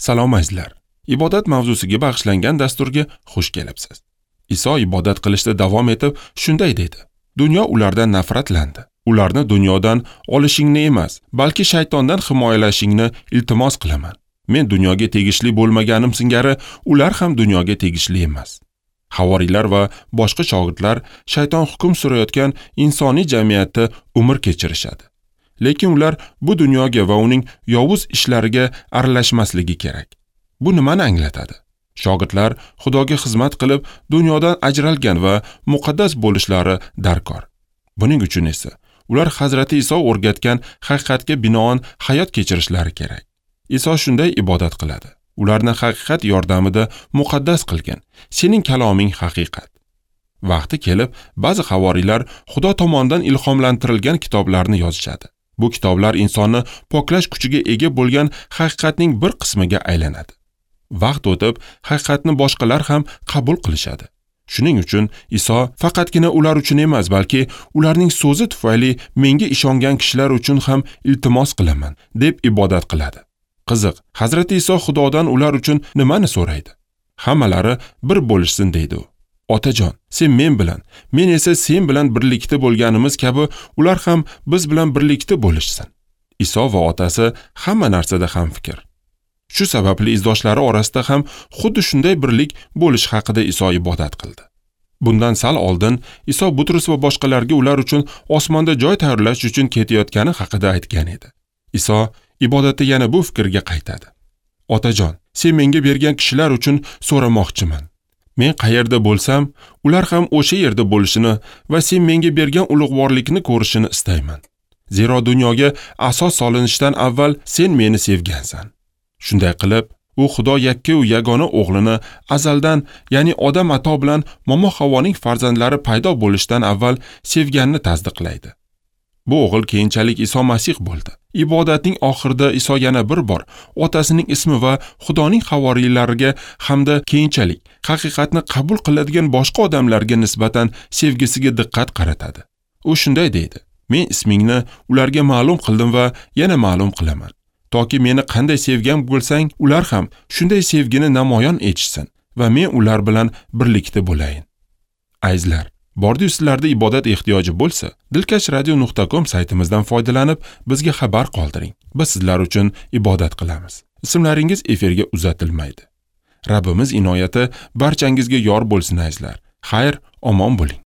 Salom azizlar. Ibodat mavzusiga bag'ishlangan dasturga xush kelibsiz. Iso ibodat qilishda davom etib shunday dedi: Dunyo ulardan nafratlandi. Ularni dunyodan olishingni emas, balki shaytondan himoyalashingni iltimos qilaman. Men dunyoga tegishli bo'lmaganim singari ular ham dunyoga tegishli emas. Havoriylar va boshqa shogirdlar shayton hukm surayotgan insoniy jamiyatda umr kechirishadi. Lekin ular bu dunyoga va uning yovuz ishlariga aralashmasligi kerak. Bu nimani anglatadi? Shogirdlar Xudoga xizmat qilib, dunyodan ajralgan va muqaddas bo'lishlari darkor. Buning uchun esa ular Hazrati Iso o'rgatgan haqiqatga binoan hayot kechirishlari kerak. Iso shunday ibodat qiladi. Ularni haqiqat yordamida muqaddas qilgin. Sening kaloming haqiqat. Vaqti kelib, ba'zi havoriylar Xudo tomonidan ilhomlantirilgan kitoblarni yozishadi. Bu kitoblar insonni poklash kuchiga ega bo'lgan haqiqatning bir qismiga aylanadi. Vaqt o'tib, haqiqatni boshqalar ham qabul qilishadi. Shuning uchun Iso faqatgina ular uchun emas, balki ularning so'zi tufayli menga ishongan kishilar uchun ham iltimos qilaman, deb ibodat qiladi. Qiziq, Hazrati Iso Xudodan ular uchun nimani so'raydi? Hammalari bir bo'lishsin deydi u. Otajon, sen men bilan, men esa sen bilan birlikda bo'lganimiz kabi ular ham biz bilan birlikda bo'lishsin. Iso va otasi hamma narsada ham fikr. Shu sababli izdoshlari orasida ham xuddi shunday birlik bo'lish haqida Iso ibodat qildi. Bundan sal oldin Iso Butrus va boshqalarga ular uchun osmonda joy tayyorlash uchun ketayotgani haqida aytgan edi. Iso ibodatda yana bu fikrga qaytadi. Otajon, sen menga bergan kishilar uchun so'ramoqchiman. Men qayerda bo'lsam, ular ham o'sha yerda bo'lishini va sen menga bergan ulug'vorlikni ko'rishini istayman. Zero dunyoga asos solinishidan avval sen meni sevgansan. Shunday qilib, u Xudo yakka-yu yagona o'g'lini azaldan, ya'ni Odam ato bilan Momo Havoning farzandlari paydo bo'lishidan avval sevganini tasdiqlaydi. Bu o'g'il keyinchalik Iso Masih bo'ldi. Ibodatning oxirida Iso yana bir bor otasining ismi va Xudoning havoriylariga hamda keyinchalik haqiqatni qabul qiladigan boshqa odamlarga nisbatan sevgisiga diqqat qaratadi. U shunday deydi: Men ismingni ularga ma'lum qildim va yana ma'lum qilaman. Toki meni qanday sevgan bo'lsang, ular ham shunday sevgini namoyon etishsin va men ular bilan birlikda bo'layin. Azizlar, bordi-yu sizlarda ibodat ehtiyoji bo'lsa, dilkashradio.com saytimizdan foydalanib, bizga xabar qoldiring. Biz sizlar uchun ibodat qilamiz. Ismlaringiz efirga uzatilmaydi. Rabbimiz inoyati barchangizga yor bo'lsin azizlar. Xayr, omon bo'ling.